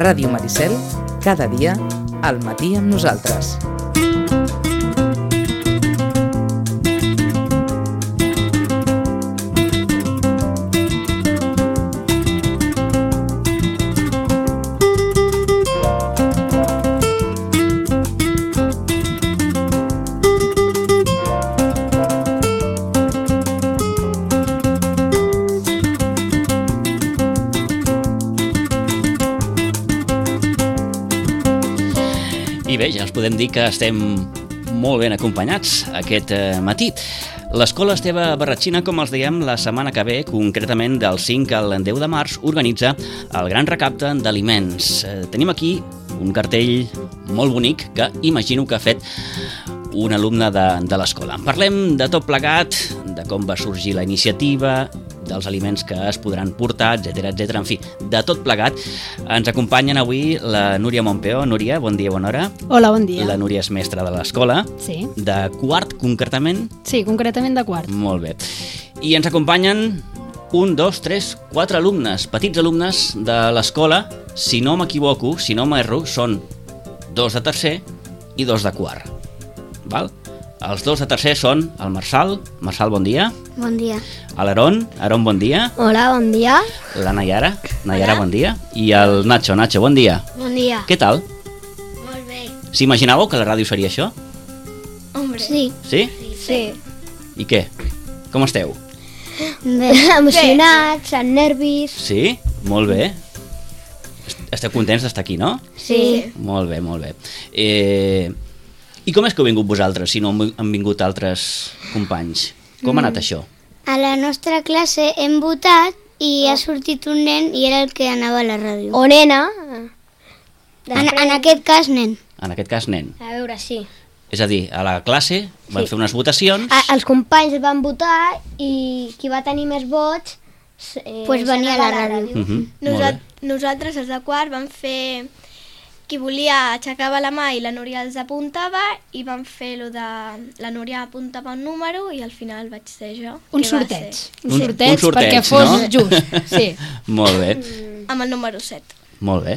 Ràdio Maricel, cada dia, al matí amb nosaltres. I bé, ja ens podem dir que estem molt ben acompanyats aquest matí. L'Escola Esteve Barratxina, com els dèiem, la setmana que ve, concretament del 5 al 10 de març, organitza el gran recapte d'aliments. Tenim aquí un cartell molt bonic que imagino que ha fet un alumne de l'escola. Parlem de tot plegat, de com va sorgir la iniciativa, dels aliments que es podran portar, etc. En fi, de tot plegat. Ens acompanyen avui la Núria Montpeó. Núria, bon dia, bona hora. Hola, bon dia. La Núria és mestra de l'escola. Sí. De quart, concretament? Sí, concretament de quart. Molt bé. I ens acompanyen 1, 2, 3, 4 alumnes, petits alumnes de l'escola. Si no m'equivoco, si no m'erro, són 2 de tercer i 2 de quart. Val? Els 2 de tercer són el Marçal. Marçal, bon dia. Bon dia. L'Aaron. Aaron, bon dia. Hola, bon dia. La Nayara. Nayara, bon dia. I el Nacho. Nacho, bon dia. Bon dia. Què tal? Molt bé. S'imaginàveu que la ràdio seria això? Hombre. Sí. Sí? Sí. I què? Com esteu? Bé. Emocionats, amb nervis. Sí? Molt bé. Esteu contents d'estar aquí, no? Sí. Molt bé, molt bé. I com és que heu vingut vosaltres, si no han vingut altres companys? Com ha anat això? A la nostra classe hem votat i ha sortit un nen i era el que anava a la ràdio. O nena. En aquest cas, nen. En aquest cas, nen. A veure, sí. És a dir, a la classe van fer unes votacions... Els companys van votar i qui va tenir més vots Pues venia a la ràdio. Molt bé. Nosaltres, els de quart, vam fer... Qui volia aixecava la mà i la Núria els apuntava i vam fer lo de... La Núria apuntava un número i al final vaig ser jo. Un sorteig. Un sorteig perquè fos no? just. Sí. Molt bé. Amb el número 7. Molt bé.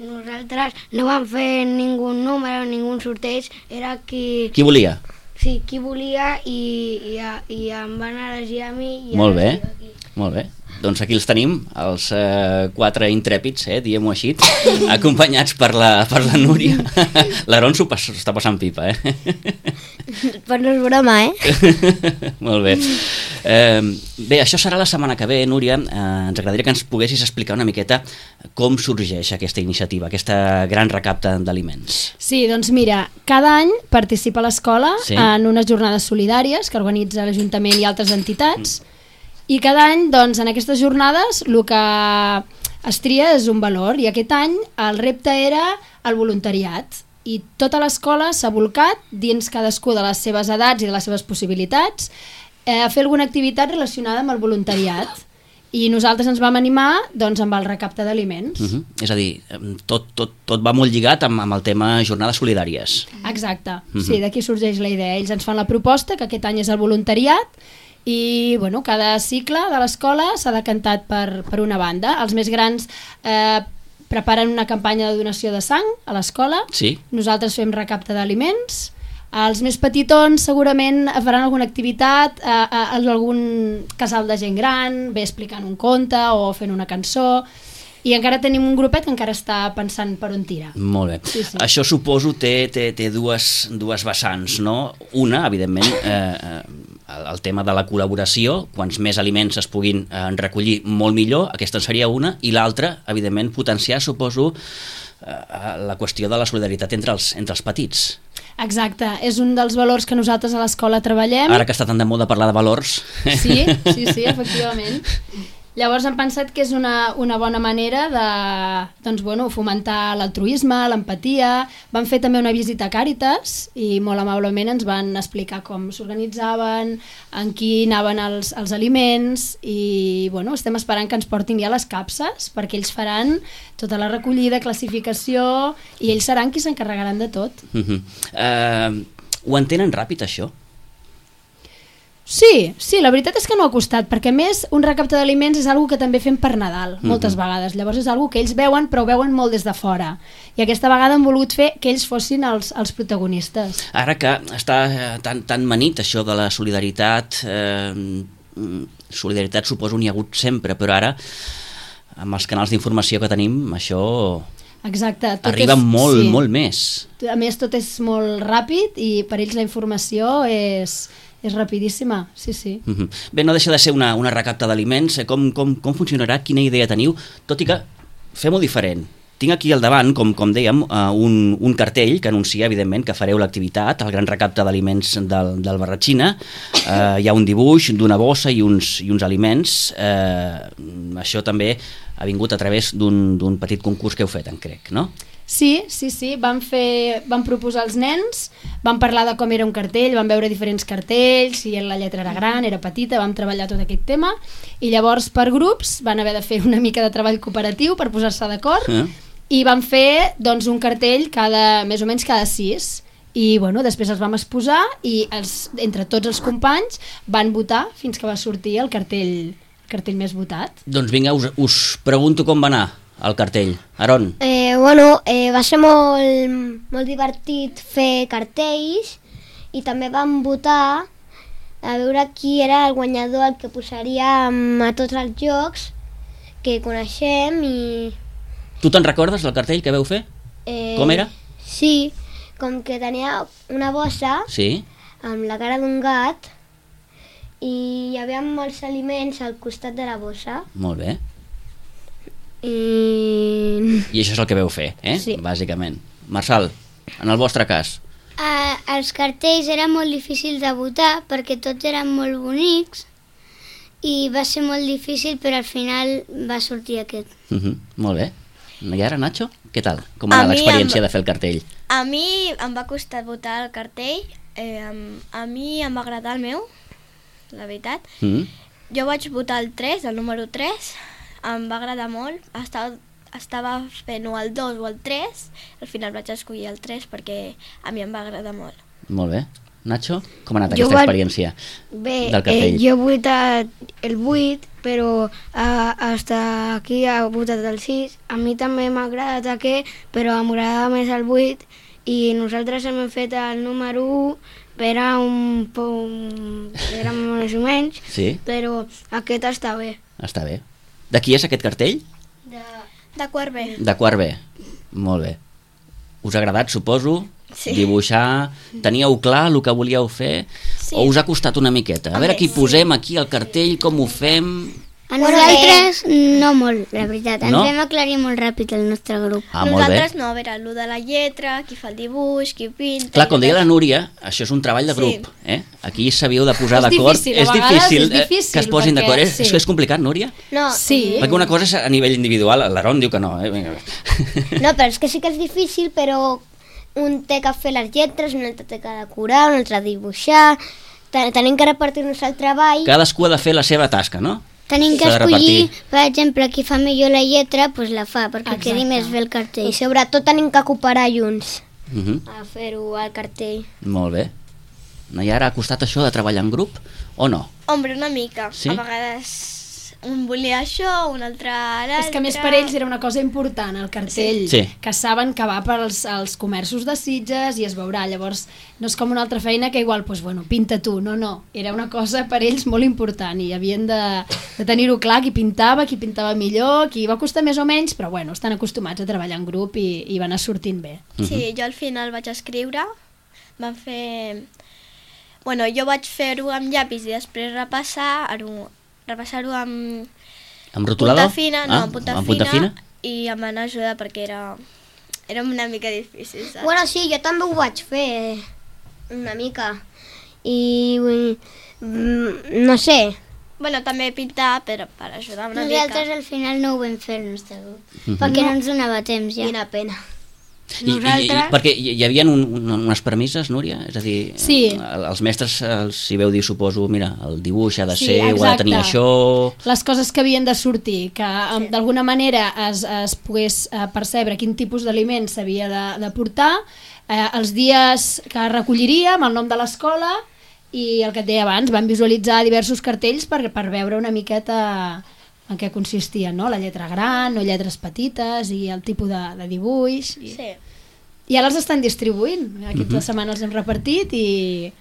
Nosaltres no vam fer ningú número, ningú sorteig, era qui... Qui volia? Sí, qui volia i em van elegir a mi. Molt bé, molt bé. Doncs aquí els tenim, els 4 intrèpids, diguem-ho així, acompanyats per la Núria. L'Aaron s'ho està passant pipa, Però no és broma, Molt bé. Bé, això serà la setmana que ve, Núria. Ens agradaria que ens poguessis explicar una miqueta com sorgeix aquesta iniciativa, aquesta gran recapte d'aliments. Sí, doncs mira, cada any participa l'escola en unes jornades solidàries que organitza l'Ajuntament i altres entitats. I cada any, doncs, en aquestes jornades, el que es tria és un valor. I aquest any el repte era el voluntariat. I tota l'escola s'ha volcat, dins cadascú de les seves edats i de les seves possibilitats, a fer alguna activitat relacionada amb el voluntariat. I nosaltres ens vam animar doncs, amb el recapte d'aliments. És a dir, tot va molt lligat amb el tema jornades solidàries. Exacte. Sí, d'aquí sorgeix la idea. Ells ens fan la proposta, que aquest any és el voluntariat, i bueno, cada cicle de l'escola s'ha decantat per una banda. Els més grans preparen una campanya de donació de sang a l'escola. Sí. Nosaltres fem recapte d'aliments. Els més petitons segurament faran alguna activitat a algun casal de gent gran, bé explicant un conte o fent una cançó. I encara tenim un grupet que encara està pensant per on tira. Molt bé. Sí. Això suposo té dues vessants, no? Una, evidentment, el tema de la col·laboració, quants més aliments es puguin recollir, molt millor, aquesta seria una, i l'altra, evidentment, potenciar, suposo, la qüestió de la solidaritat entre els petits. Exacte, és un dels valors que nosaltres a l'escola treballem. Ara que està tan de moda parlar de valors. Sí, efectivament. Llavors hem pensat que és una bona manera de doncs, bueno, fomentar l'altruisme, l'empatia. Vam fer també una visita a Càritas i molt amablement ens van explicar com s'organitzaven, en qui anaven els aliments i bueno, estem esperant que ens portin ja les capses perquè ells faran tota la recollida, classificació i ells seran qui s'encarregaran de tot. Ho entenen ràpid, això? Sí, la veritat és que no ha costat, perquè a més un recapte d'aliments és algo que també fem per Nadal, moltes vegades. Llavors és algo que ells veuen, però ho veuen molt des de fora. I aquesta vegada han volgut fer que ells fossin els protagonistes. Ara que està tan manit això de la solidaritat, solidaritat suposo n'hi ha hagut sempre, però ara amb els canals d'informació que tenim això... Exacte. Arriba molt més. A més tot és molt ràpid i per ells la informació és rapidíssima, sí. Bé, no deixa de ser una recapta d'aliments. Com funcionarà? Quina idea teniu? Tot i que fem-ho diferent. Tinc aquí al davant, com dèiem, un cartell que anuncia, evidentment, que fareu l'activitat, el gran recapte d'aliments del Barratxina. Hi ha un dibuix d'una bossa i uns aliments. Això també ha vingut a través d'un petit concurs que heu fet, crec, no? Sí, vam proposar als nens, vam parlar de com era un cartell, vam veure diferents cartells, si la lletra era gran, era petita, vam treballar tot aquest tema, i llavors per grups van haver de fer una mica de treball cooperatiu per posar-se d'acord, i vam fer doncs, un cartell més o menys cada 6, i després els vam exposar i entre tots els companys van votar fins que va sortir el cartell més votat. Doncs vinga, us pregunto com va anar el cartell. Aron? Va ser molt divertit fer cartells i també vam votar a veure qui era el guanyador, el que posaríem a tots els jocs que coneixem i... Tu te'n recordes del cartell que veu fer? Com era? Sí, com que tenia una bossa amb la cara d'un gat i hi havia molts aliments al costat de la bossa. Molt bé. I això és el que veu fer, Sí. Bàsicament. Marçal, en el vostre cas? Els cartells eren molt difícils de votar perquè tots eren molt bonics i va ser molt difícil, però al final va sortir aquest. Molt bé. I ara, Nacho, què tal? Com va anar l'experiència de fer el cartell? A mi em va costar votar el cartell. A mi em va agradar el meu, la veritat. Jo vaig votar el 3, el número 3. Em va agradar molt. Estava fent o el 2 o el 3. Al final vaig escollir el 3 perquè a mi em va agradar molt. Molt bé. Nacho, com ha anat aquesta experiència del cartell? Jo he votat el 8, però hasta aquí ha votat el 6. A mi també m'ha agradat aquest, però m'agradava més el 8 i nosaltres hem fet el número 1, era més o menys, però aquest està bé. Està bé. De qui és aquest cartell? De quart B. De quart B. Molt bé. Us ha agradat, suposo, dibuixar? Teníeu clar el que volíeu fer? O us ha costat una miqueta? A veure qui posem aquí al cartell, com ho fem... A nosaltres no molt, la veritat. Ens vam aclarir molt ràpid el nostre grup. Nosaltres no, a veure, el de la lletra, qui fa el dibuix, qui pinta... Clar, com deia la Núria, això és un treball de grup. Aquí s'havíeu de posar d'acord. És difícil que es posin d'acord. És complicat, Núria? No. Sí. Perquè una cosa és a nivell individual, l'Aaron diu que no. No, però és que sí que és difícil, però un té que fer les lletres, un altre té que decorar, un altre dibuixar... Tenim que repartir-nos el treball. Cadascú ha de fer la seva tasca, no? Tenim que escollir, per exemple, qui fa millor la lletra, doncs la fa, perquè quedi més bé el cartell. I sobretot tenim que cooperar junts a fer-ho al cartell. Molt bé. I ara ha costat això de treballar en grup o no? Hombre, una mica. A vegades un volia això, un altre l'altre... És que a més per ells era una cosa important, el cartell, que saben que va per als comerços de Sitges i es veurà. Llavors no és com una altra feina que igual, pinta tu. No. Era una cosa per ells molt important i havien de tenir-ho clar, qui pintava millor, qui va costar més o menys, però estan acostumats a treballar en grup i va anar sortint bé. Sí, jo al final vaig escriure, vam fer... jo vaig fer-ho amb llapis i després repassar-ho amb rotulada? Punta fina, amb punta fina i em van ajudar perquè era una mica difícil, saps? Sí, jo també ho vaig fer una mica i no sé. També pintar per ajudar una mica. Nosaltres al final no ho vam fer el nostre grup perquè no ens donava temps ja. Quina pena. Perquè hi havia unes premisses, Núria? És a dir, els mestres s'hi veu dir, suposo, mira, el dibuix ha de ser, ho ha de tenir això... Les coses que havien de sortir, que d'alguna manera es pogués percebre quin tipus d'aliment s'havia de portar, els dies que recolliríem, el nom de l'escola i el que et deia abans, van visualitzar diversos cartells per veure una miqueta en què consistien, no? La lletra gran o lletres petites i el tipus de dibuix. I ara els estan distribuint. Aquesta setmana els hem repartit i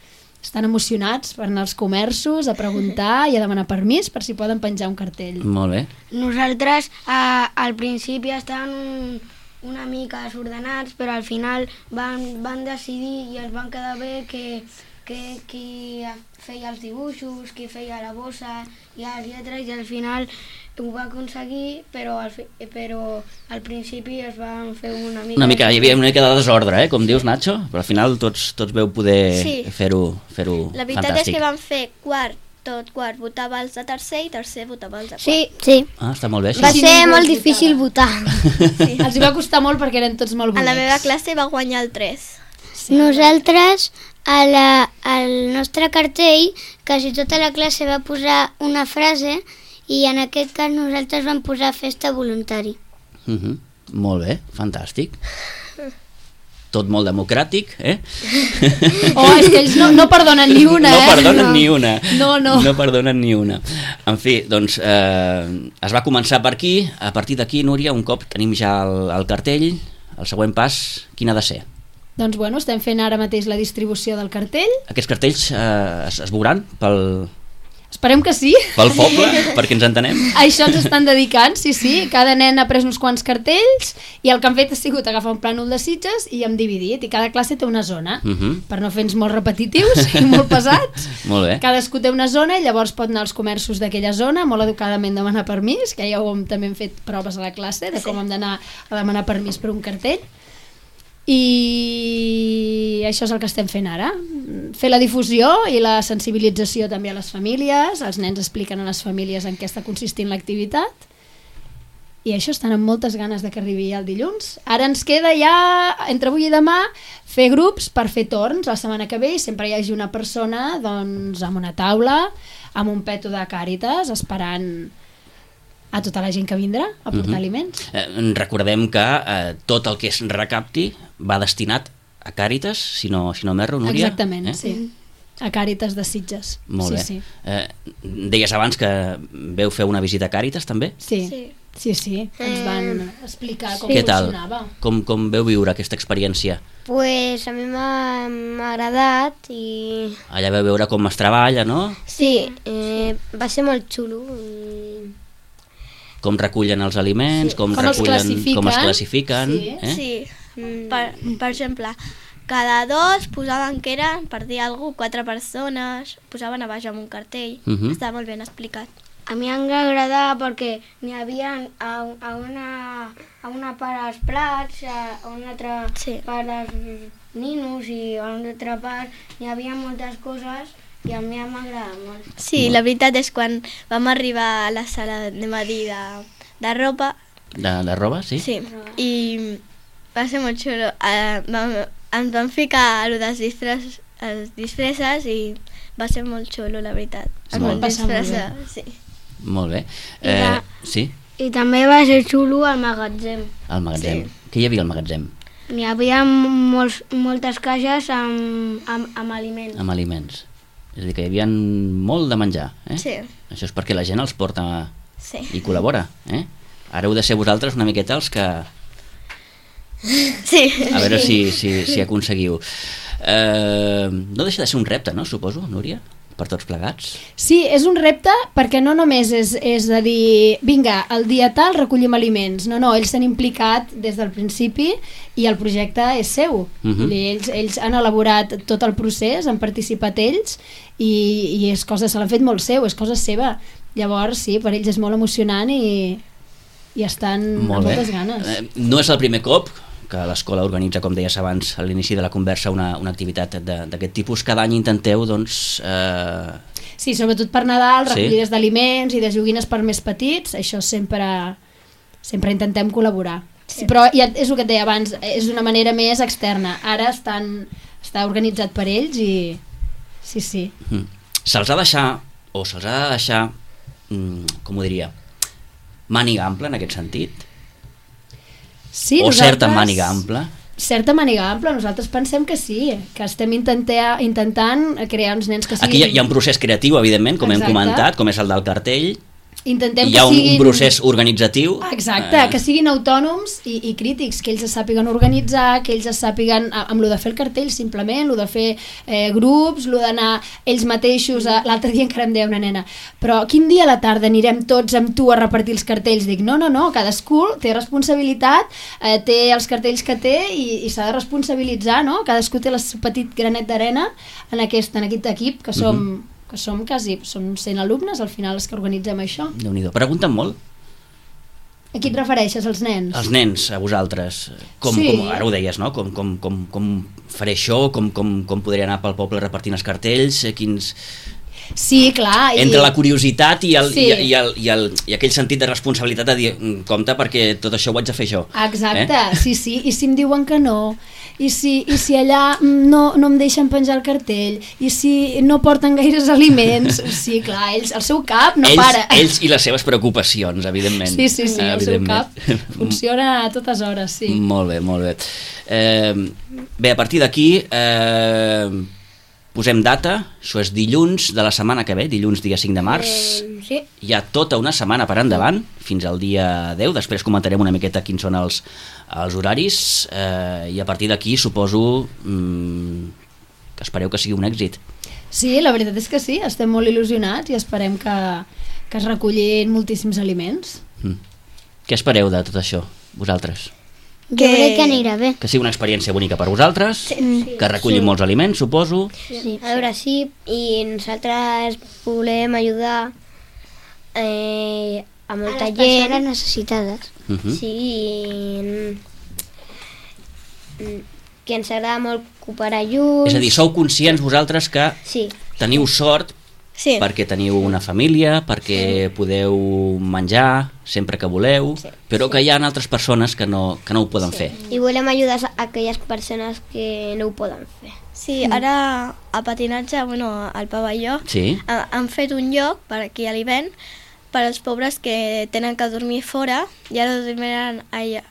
estan emocionats per anar als comerços a preguntar i a demanar permís per si poden penjar un cartell. Molt bé. Nosaltres al principi estàvem una mica desordenats, però al final van decidir i ens van quedar bé que qui feia els dibuixos, qui feia la bossa i les lletres, i al final ho va aconseguir, però al principi es van fer una mica... Hi havia una mica de desordre, com dius, Nacho, però al final tots veu poder fer-ho fantàstic. La veritat és que van fer quart votava els de tercer i tercer votava els de quart. Sí. Ah, està molt bé, això. Va ser molt difícil votar. Els hi va costar molt perquè eren tots molt bonics. A la meva classe va guanyar el 3. Nosaltres, al nostre cartell, quasi tota la classe va posar una frase i en aquest cas nosaltres vam posar festa voluntari. Molt bé, fantàstic. Tot molt democràtic, Oh, és que ells no perdonen ni una, No perdonen ni una. No. No perdonen ni una. En fi, doncs, es va començar per aquí. A partir d'aquí, Núria, un cop tenim ja el cartell, el següent pas, quin ha de ser? Doncs bueno, estem fent ara mateix la distribució del cartell. Aquests cartells es veuran Esperem que sí. pel poble, perquè ens entenem? A això ens estan dedicant, sí. Cada nen ha pres uns quants cartells i el que han fet ha sigut agafar un plànol de Sitges i hem dividit, i cada classe té una zona, per no fer-nos molt repetitius i molt pesats. Molt bé. Cadascú té una zona i llavors pot anar als comerços d'aquella zona, molt educadament demanar permís, que ja també hem fet proves a la classe de com hem d'anar a demanar permís per un cartell. I això és el que estem fent ara, fer la difusió i la sensibilització també a les famílies. Els nens expliquen a les famílies en què està consistint l'activitat i això, estan amb moltes ganes de que arribi el dilluns. Ara ens queda ja, entre avui i demà, fer grups per fer torns la setmana que ve i sempre hi hagi una persona doncs, amb una taula, amb un peto de Càritas esperant a tota la gent que vindrà a portar aliments. Recordem que tot el que es recapti va destinat a Càritas, si no m'erro, Núria? Exactament, sí. A Càritas de Sitges. Molt bé. Sí. Deies abans que veu fer una visita a Càritas, també? Sí. Ens van explicar com Què tal? funcionava. Com veu viure aquesta experiència? Pues a mi m'ha agradat i... Allà veu veure com es treballa, no? Sí, va ser molt xulo. Com recullen els aliments, com es classifiquen. Sí. Per exemple, cada 2 posaven que eren, per dir alguna cosa, 4 persones, posaven a baix amb un cartell. Estava molt ben explicat. A mi em va agradar perquè n'hi havia a una part els plats, a una altra part els ninos i a una altra part hi havia moltes coses i a mi m'agrada molt. Sí, la veritat és quan vam arribar a la sala, anem a dir, de roba. De roba, sí? Sí, i va ser molt xulo. Ens vam ficar a les disfresses i va ser molt xulo, la veritat. Molt bé. Sí. Molt bé. Sí? I també va ser xulo al magatzem. Al magatzem. Què hi havia al magatzem? N'hi havia moltes caixes amb aliments. Amb aliments. És a dir, que hi havia molt de menjar, Sí. Això és perquè la gent els porta i col·labora, Ara heu de ser vosaltres una miqueta els que... Sí. A veure si aconseguiu. No deixa de ser un repte, no, suposo, Núria? Per tots plegats? Sí, és un repte perquè no només és de dir vinga, el dia tal recollim aliments, no, ells s'han implicat des del principi i el projecte és seu. Ells han elaborat tot el procés, han participat ells i és cosa, se l'han fet molt seu, és cosa seva. Llavors sí, per ells és molt emocionant i estan amb moltes ganes. No és el primer cop que l'escola organitza, com deies abans a l'inici de la conversa, una activitat d'aquest tipus. Cada any intenteu, doncs... Sí, sobretot per Nadal, recollides d'aliments i de joguines per més petits, això sempre intentem col·laborar. Sí. Però ja és el que et deia abans, és una manera més externa. Ara està organitzat per ells i... Sí. Se'ls ha de deixar, com ho diria, màniga ampla en aquest sentit? Sí, o certa màniga ampla? certa màniga ampla, nosaltres pensem que sí, que estem intentant crear uns nens que siguin... Aquí hi ha un procés creatiu, evidentment, com hem comentat, com és el del cartell. Intentem hi ha un procés organitzatiu. Exacte, que siguin autònoms i crítics, que ells es sàpiguen organitzar, que ells es sàpiguen amb lo de fer el cartell simplement, lo de fer grups, lo d'anar ells mateixos. L'altre dia encara em deia una nena, però quin dia a la tarda anirem tots amb tu a repartir els cartells? Dic, no, cadascú té responsabilitat, té els cartells que té i s'ha de responsabilitzar, no? Cadascú té el seu petit granet d'arena en aquest equip, que som quasi, som 100 alumnes al final els que organitzem això. Déu-n'hi-do. Pregunten molt. A qui et refereixes, als nens? Els nens, a vosaltres. Com ara ho deies, no? Com faré això, com podré anar pel poble repartint els cartells, quins... Sí, clar. Entre la curiositat i aquell sentit de responsabilitat de dir, compte perquè tot això ho haig de fer jo. Exacte, sí, i si em diuen que no, i si allà no em deixen penjar el cartell, i si no porten gaires aliments, sí, clar, ells, el seu cap no para. Ells i les seves preocupacions, evidentment. Sí, el seu cap funciona a totes hores, sí. Molt bé. Bé, a partir d'aquí... posem data, això és dilluns de la setmana que ve, dilluns dia 5 de març. Sí. Hi ha tota una setmana per endavant, fins al dia 10, després comentarem una miqueta quins són els horaris, i a partir d'aquí suposo que espereu que sigui un èxit. Sí, la veritat és que sí, estem molt il·lusionats i esperem que es recollin moltíssims aliments. Què espereu de tot això, vosaltres? Jo crec que anirà bé. Que sigui una experiència bonica per vosaltres, que recullin molts aliments, suposo. Sí, a veure, sí, i nosaltres volem ajudar a molta gent. A les persones necessitades. Sí, que ens agrada molt cooperar junts. És a dir, sou conscients vosaltres que teniu sort perquè teniu una família, perquè podeu menjar sempre que voleu, però que hi ha altres persones que no ho poden fer. I volem ajudar a aquelles persones que no ho poden fer. Sí, ara a patinatge, al pavelló, han fet un lloc per aquí a l'Ivent per als pobres que tenen que dormir fora i ara dormiran allà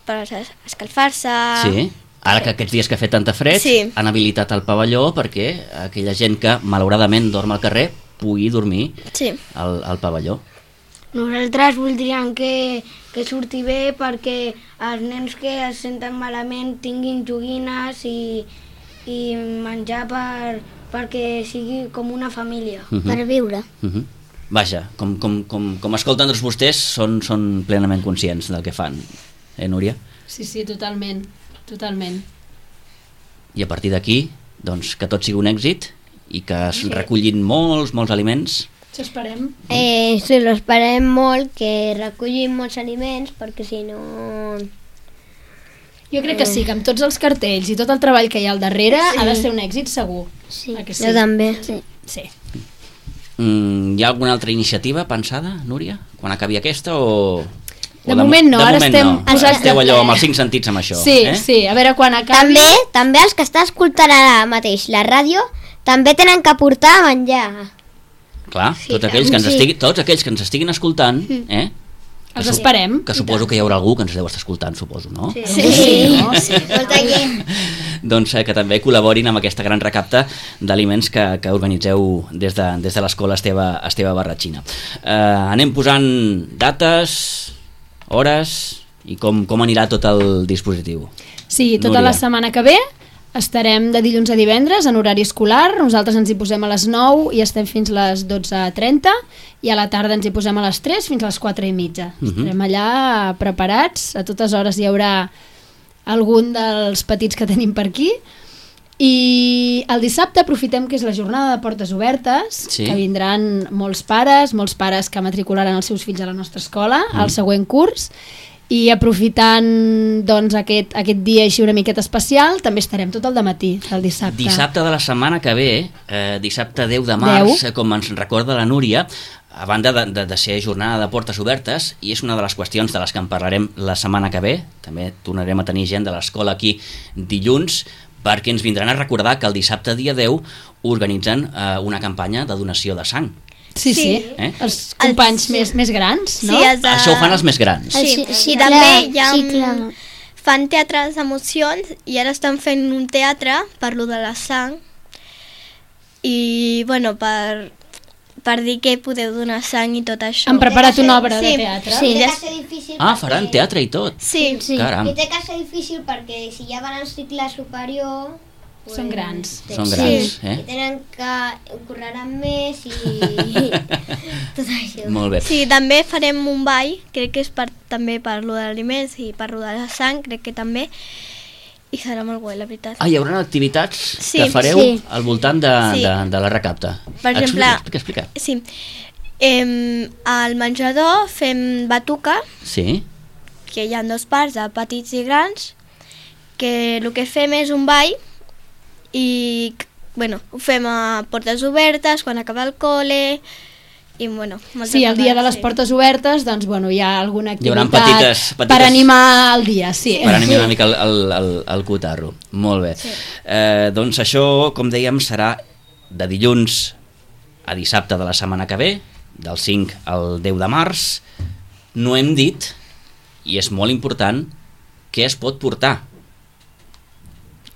per escalfar-se. Sí. Ara que aquests dies que ha fet tanta fred han habilitat el pavelló perquè aquella gent que malauradament dorm al carrer pugui dormir al pavelló. Nosaltres voldríem que surti bé perquè els nens que es senten malament tinguin joguines i menjar perquè sigui com una família. Per viure. Vaja, com escolten tots vostès, són plenament conscients del que fan. Núria? Sí, totalment. I a partir d'aquí, doncs, que tot sigui un èxit i que es recullin molts aliments. Això esperem. Sí, l'esperem molt, que recullin molts aliments, perquè si no... Jo crec que sí, que amb tots els cartells i tot el treball que hi ha al darrere ha de ser un èxit segur. Sí, jo també. Sí. Hi ha alguna altra iniciativa pensada, Núria? Quan acabi aquesta o... De moment no, ara estem... Esteu allò amb els 5 sentits amb això. Sí, a veure quan acabi... També els que estan escoltant ara mateix la ràdio també tenen que portar a menjar. Clar, tots aquells que ens estiguin escoltant, els esperem. Que suposo que hi haurà algú que ens deu estar escoltant, suposo, no? Sí. Molta gent. Doncs que també col·laborin amb aquesta gran recapta d'aliments que organitzeu des de l'escola Esteve Barratxina. Anem posant dates, hores i com anirà tot el dispositiu. Sí, tota la setmana que ve estarem de dilluns a divendres en horari escolar. Nosaltres ens hi posem a les 9 i estem fins a les 12:30 i a la tarda ens hi posem a les 3 fins a les 4:30. Estarem allà preparats, a totes hores hi haurà algun dels petits que tenim per aquí. I el dissabte aprofitem que és la jornada de portes obertes, que vindran molts pares que matricularan els seus fills a la nostra escola al següent curs, i aprofitant doncs, aquest dia així una miqueta especial, també estarem tot el dematí del dissabte. Dissabte de la setmana que ve, dissabte 10 de març, com ens recorda la Núria, a banda de ser jornada de portes obertes, i és una de les qüestions de les que en parlarem la setmana que ve, també tornarem a tenir gent de l'escola aquí dilluns, perquè ens vindran a recordar que el dissabte dia 10 organitzen una campanya de donació de sang. Sí. Els companys més grans, no? Sí, Això ho fan els més grans. Sí, també hi ha... Fan teatres d'emocions i ara estan fent un teatre per lo de la sang i, bueno, per dir que podeu donar sang i tot això. Han preparat una obra de teatre. Sí, té que ser difícil Faran teatre i tot. Sí. Caram. I té que ser difícil perquè si ja van al cicle superior... Són grans. Són grans, I tenen que correran més i tot això. Molt bé. Sí, també farem un ball, crec que és també per lo de l'aliments i per lo de la sang, crec que també, i serà molt guai, la veritat. Hi haurà activitats que fareu al voltant de la recapta. Per exemple, explica. Sí, al menjador fem batuca, que hi ha 2 parts, de petits i grans, que el que fem és un ball i, bueno, ho fem a portes obertes, quan acaba el col·le, i, bueno... Sí, el dia de les portes obertes, doncs, bueno, hi ha alguna activitat petites... per animar el dia, sí. Per animar una mica el cotarro. Molt bé. Sí. Doncs això, com dèiem, serà de dilluns a dissabte de la setmana que ve, del 5 al 10 de març. No hem dit, i és molt important, què es pot portar.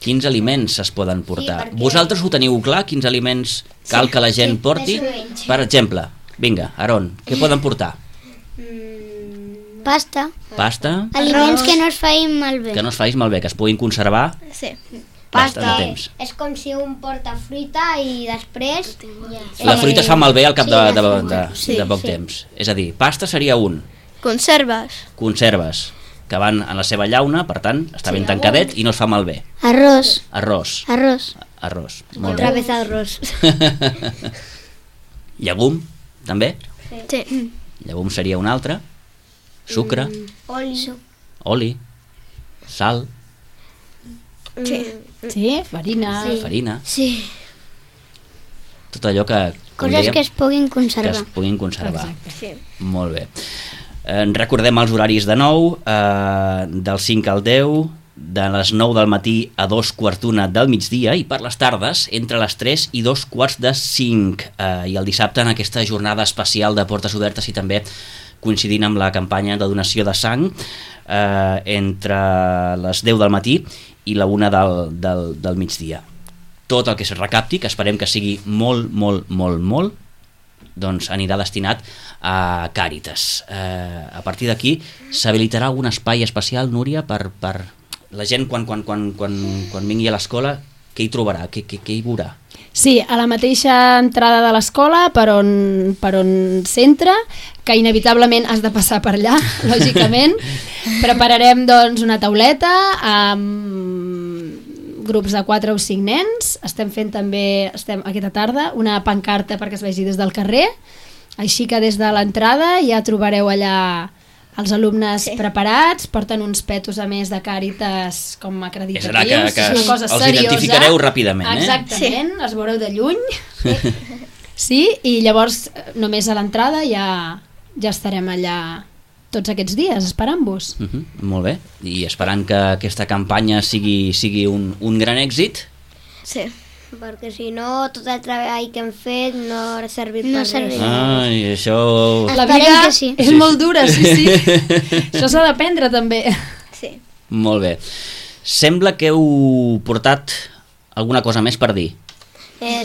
Quins aliments es poden portar? Sí, vosaltres ho teniu clar, quins aliments cal que la gent porti? Per exemple, vinga, Aaron, què poden portar? Pasta. Aliments que no es facin malbé. Que no es facin malbé, que es puguin conservar bastant de temps. És com si un porta fruita i després... La fruita es fa malbé al cap de poc temps. És a dir, pasta seria un. Conserves, que van en la seva llauna, per tant, està ben tancadet i no es fa malbé. Arròs. Molt Otra bé. vez arròs. Llegum, també? Sí. Llegum seria un altre. Sucre. Oli. Sal. Sí, farina. Sí. Tot allò que... Coses que es puguin conservar. Que es puguin conservar. Exacte. Molt bé. Recordem els horaris de nou, del 5 al 10, de les 9 del matí a 2:15 del migdia, i per les tardes entre les 3 i 2:45, i el dissabte en aquesta jornada especial de portes obertes i també coincidint amb la campanya de donació de sang, entre les 10 del matí i la 1 del migdia. Tot el que es recapti, que esperem que sigui molt, doncs anirà destinat a Càritas. A partir d'aquí s'habilitarà algun espai especial, Núria, per la gent quan vingui a l'escola, què hi trobarà, què hi veurà? Sí, a la mateixa entrada de l'escola, per on s'entra, que inevitablement has de passar per allà, lògicament. Prepararem doncs una tauleta amb grups de 4 o 5 nens. Estem fent també, aquesta tarda, una pancarta perquè es vegi des del carrer, així que des de l'entrada ja trobareu allà els alumnes preparats, porten uns petos a més de Càritas com acreditatius. És una cosa seriosa. Els identificareu ràpidament, Exactament, els veureu de lluny. Sí, i llavors només a l'entrada ja estarem allà tots aquests dies, esperant-vos. Molt bé, i esperant que aquesta campanya sigui un gran èxit. Sí. Perquè si no, tot el treball que hem fet no ha servit per res. Ai, això... La vida és molt dura, sí. Això s'ha d'aprendre també. Sí. Molt bé. Sembla que heu portat alguna cosa més per dir.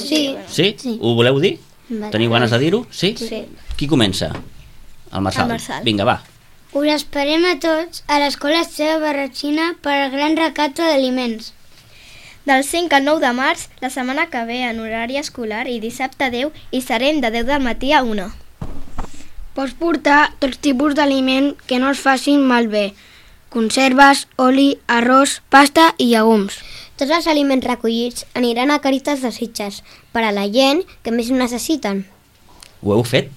Sí. Sí? Ho voleu dir? Teniu ganes de dir-ho? Sí? Sí. Qui comença? El Marçal. El Marçal. Vinga, va. Us esperem a tots a l'Escola Esteve Barratxina per al gran recapte d'aliments. Del 5 al 9 de març, la setmana que ve en horari escolar i dissabte 10 i serem de 10 del matí a 1. Pots portar tots tipus d'aliment que no es facin malbé. Conserves, oli, arròs, pasta i llegums. Tots els aliments recollits aniran a Càritas de Sitges per a la gent que més ho necessiten. Ho heu fet?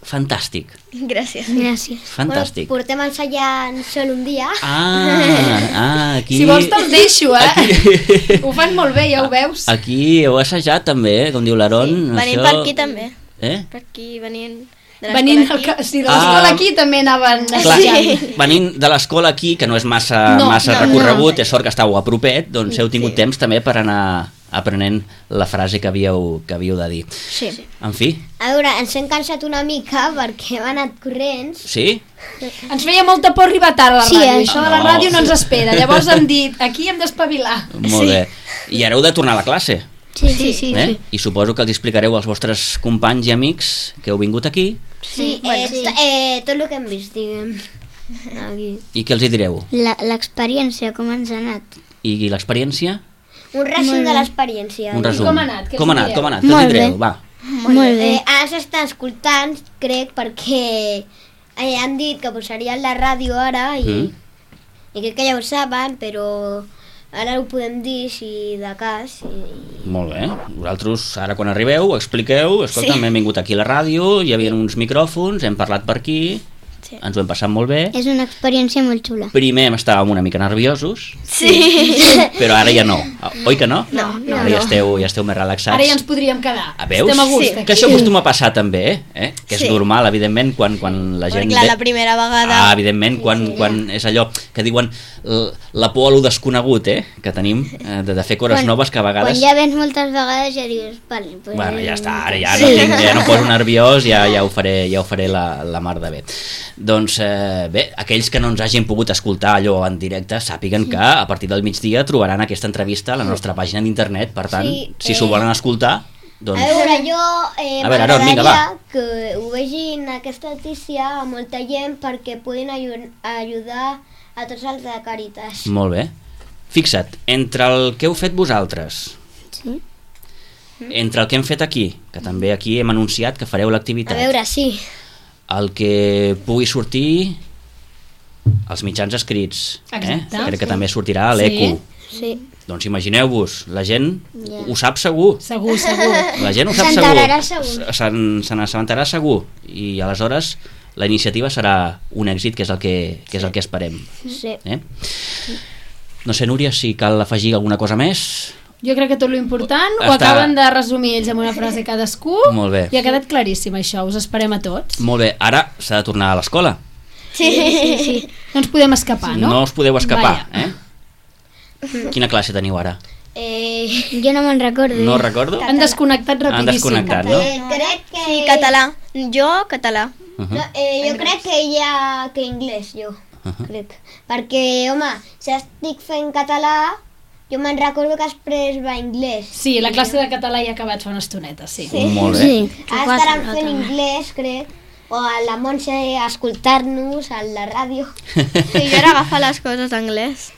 Fantàstic. Gràcies. Fantàstic. Bueno, portem ensaiant sol un dia. Aquí... Si vols te'ls deixo, Aquí... Ho fan molt bé, ja ho veus. Aquí heu assajat també, com diu l'Aaron. Sí, venim per aquí també. Per aquí venint de l'escola aquí. Sí, de l'escola aquí també anaven assajant. Venint de l'escola aquí, que no és massa recorregut, és sort que estàveu a propet, doncs heu tingut temps també per anar aprenent la frase que havíeu de dir. Sí. En fi. A veure, ens hem cansat una mica perquè hem anat corrents. Sí? Ens feia molta por arribar tard a la ràdio. Això de la No. ràdio no ens espera. Llavors hem dit, aquí hem d'espavilar. Molt bé. I ara heu de tornar a la classe. Sí. I suposo que els explicareu als vostres companys i amics que heu vingut aquí. Sí, tot el que hem vist, diguem. Aquí. I què els hi direu? L'experiència, com ens ha anat? I l'experiència? Un resum de l'experiència. Un resum. Com ha anat? Què Com ha els anat? direu? Com ha anat? Què els hi direu? Va. Molt bé. Ara s'estan escoltant, crec, perquè han dit que posarien la ràdio ara i crec que ja ho saben, però ara ho podem dir si de cas. Molt bé. Vosaltres ara quan arribeu ho expliqueu. Escolta, hem vingut aquí a la ràdio, hi havia uns micròfons, hem parlat per aquí, ens ho hem passat molt bé. És una experiència molt xula. Primer estàvem una mica nerviosos, Sí. però ara ja no. Oi que no? No. Ara ja esteu més relaxats. Ara ja ens podríem quedar. Veus? Estem a gust Que aquí. això acostuma a passar també, que és Sí. normal, evidentment, quan la gent... Perquè clar, la primera vegada... Evidentment, quan és allò que diuen la por a lo desconegut, que tenim, de fer coses noves que a vegades... Quan ja vens moltes vegades ja dius, vale, pues... Bueno, ja està, ara ja no poso nerviós, ja ho faré la mar de bé. Doncs bé, aquells que no ens hagin pogut escoltar allò en directe, sàpiguen que a partir del migdia trobaran aquesta entrevista a la nostra pàgina d'internet, per tant, si s'ho volen escoltar, doncs... A veure, jo A veure, Aaron, vinga, va. que ho vegin aquesta notícia a molta gent perquè puguin ajudar a tots els de Càritas. Molt bé. Fixa't, entre el que heu fet vosaltres, entre el que hem fet aquí, que també aquí hem anunciat que fareu l'activitat, A veure, sí. el que pugui sortir als mitjans escrits, Exacte. crec que també sortirà a l'ECO. Sí. Doncs imagineu-vos, la gent ho sap segur. Segur. La gent ho sap S'enterarà segur. Se n'assabentarà segur. I aleshores la iniciativa serà un èxit, que és el que esperem. Sí. No sé, Núria, si cal afegir alguna cosa més. Jo crec que tot l'important ho acaben de resumir ells amb una frase cadascú. Molt bé. I ha quedat claríssim això, us esperem a tots. Molt bé, ara s'ha de tornar a l'escola. Sí. No ens podem escapar, no? No us podeu escapar, Vaja. Quina classe teniu ara? Jo no me'n recordo. No recordo? Han desconnectat rapidíssim. Han desconnectat, no? Crec que... Sí, català. Jo, català. jo crec que ja que anglès, jo. Crec. Perquè, home, si estic fent català, jo me'n recordo que després va anglès. Sí, la classe de català ja ha acabat fa una estoneta, sí. Molt bé. Ara estaran fent anglès, crec. O a la Montse escoltar-nos a la ràdio. Sí, jo ara agafo les coses d'anglès.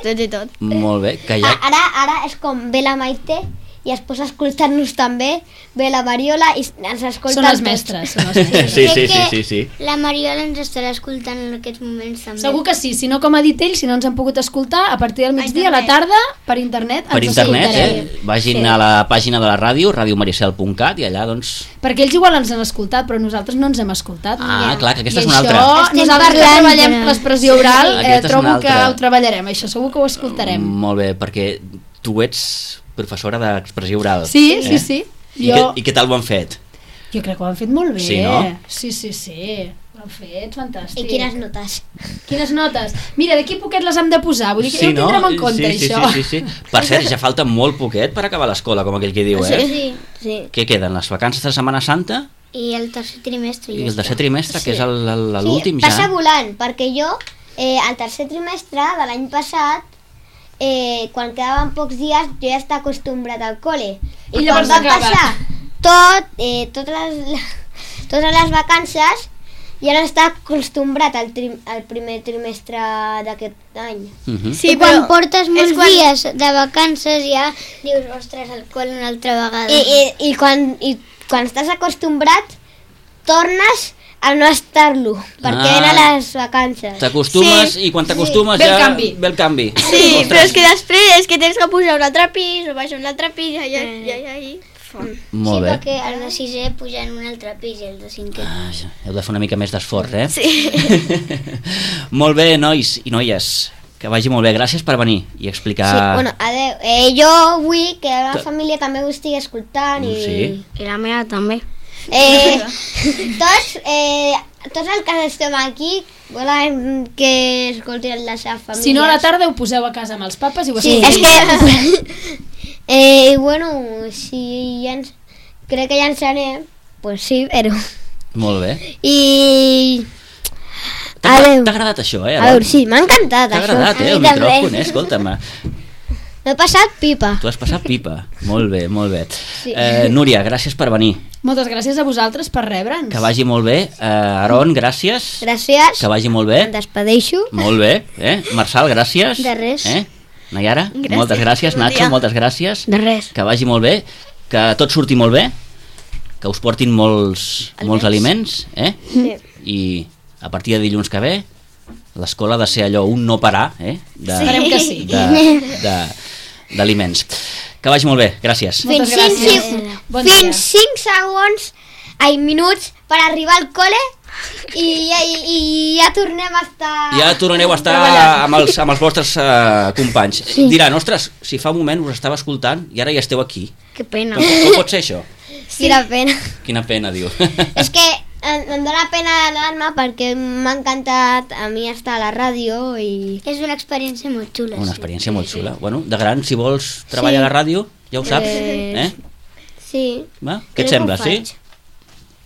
Tot i tot. Molt bé, que ja... Ara és com ve la Maite i es posa a escoltar-nos també, ve la Mariola i ens escolta Són les mestres. Són les mestres. Sí. La Mariola ens estarà escoltant en aquests moments també. Segur que sí, si no com ha dit ell, si no ens han pogut escoltar, a partir del migdia, a la tarda, per internet, Per ens internet, escoltarem. vagin a la pàgina de la ràdio, radiomaricel.cat, i allà, doncs... Perquè ells igual ens han escoltat, però nosaltres no ens hem escoltat. Clar, que aquesta I és una això, altra. nosaltres que parlant, treballem l'expressió oral, Aquesta és una trobo que altra. ho treballarem, això segur que ho escoltarem. Molt bé, perquè tu ets professora d'expressió oral. Sí. I què tal ho han fet? Jo crec que ho han fet molt bé. Sí, no? Sí. Ho han fet fantàstic. I quines notes? Quines notes? Mira, d'aquí a poquet les hem de posar, vull dir que ja ho tindrem en compte, això. Sí. Per cert, ja falta molt poquet per acabar l'escola, com aquell que diu, Sí. Què queden, les vacances de Setmana Santa I el tercer trimestre. i el tercer trimestre, que és l'últim ja? Passa volant, perquè jo, el tercer trimestre de l'any passat, quan quedaven pocs dies, jo ja estava acostumbrat al col·le. I llavors quan van acaba. passar totes les vacances, ja no estava acostumbrat al primer trimestre d'aquest any. Sí, quan portes molts dies de vacances ja dius, ostres, al col·le una altra vegada. I quan estàs acostumbrat, tornes a no estar-lo, perquè eren les vacances. T'acostumes i quan t'acostumes Ve el ja canvi. ve el canvi. Sí, però és que després tens que pujar un altre pis o baixar un altre pis i Molt bé. perquè el de sisè puja en un altre pis i el de cinquè. Heu de fer una mica més d'esforç, Sí. Molt bé, nois i noies, que vagi molt bé. Gràcies per venir i explicar... Sí, bueno, adeu. Jo vull que la família també ho estigui escoltant i... Sí. I la meva també. Tots els que estem aquí volen que escoltin la seva família. Si no, a la tarda ho poseu a casa amb els papes i ho Sí, escolteu. és que Bueno, si ja crec que ja ens anem, pues sí, però... Molt bé. I... T'ha agradat això, A veure, sí, m'ha encantat això. T'ha agradat, el micròfon, escolta'm. M'he passat pipa. Tu has passat pipa. Molt bé, molt bé. Sí. Núria, gràcies per venir. Moltes gràcies a vosaltres per rebre'ns. Que vagi molt bé. Aaron, gràcies. Gràcies. Que vagi molt bé. Em despedeixo. Molt bé. Marçal, gràcies. De res. Nayara, moltes gràcies. Nacho, moltes gràcies. De res. Que vagi molt bé. Que tot surti molt bé. Que us portin molts aliments. Sí. I a partir de dilluns que ve l'escola ha de ser allò, un no parar Esperem que sí. d'aliments. Que vagi molt bé, gràcies. Moltes gràcies. Bon dia. Fins 5 segons, minuts per arribar al col·le i ja tornem a estar... Ja tornareu a estar amb els vostres companys. Diran, ostres, si fa un moment us estava escoltant i ara ja esteu aquí. Que pena. Com pot ser això? Quina pena. Quina pena, diu. És que em dóna pena l'alarma perquè m'ha encantat a mi estar a la ràdio i... És una experiència molt xula. Una experiència molt xula. Bueno, de gran, si vols treballar a la ràdio, ja ho saps. Sí. Va? Què et sembla, sí?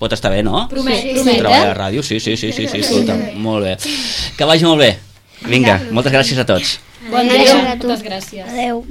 Pot estar bé, no? Promet, treballar a la ràdio, sí, escolta, molt bé. Que vagi molt bé. Vinga, moltes gràcies a tots. Bon dia. Moltes gràcies. Adéu.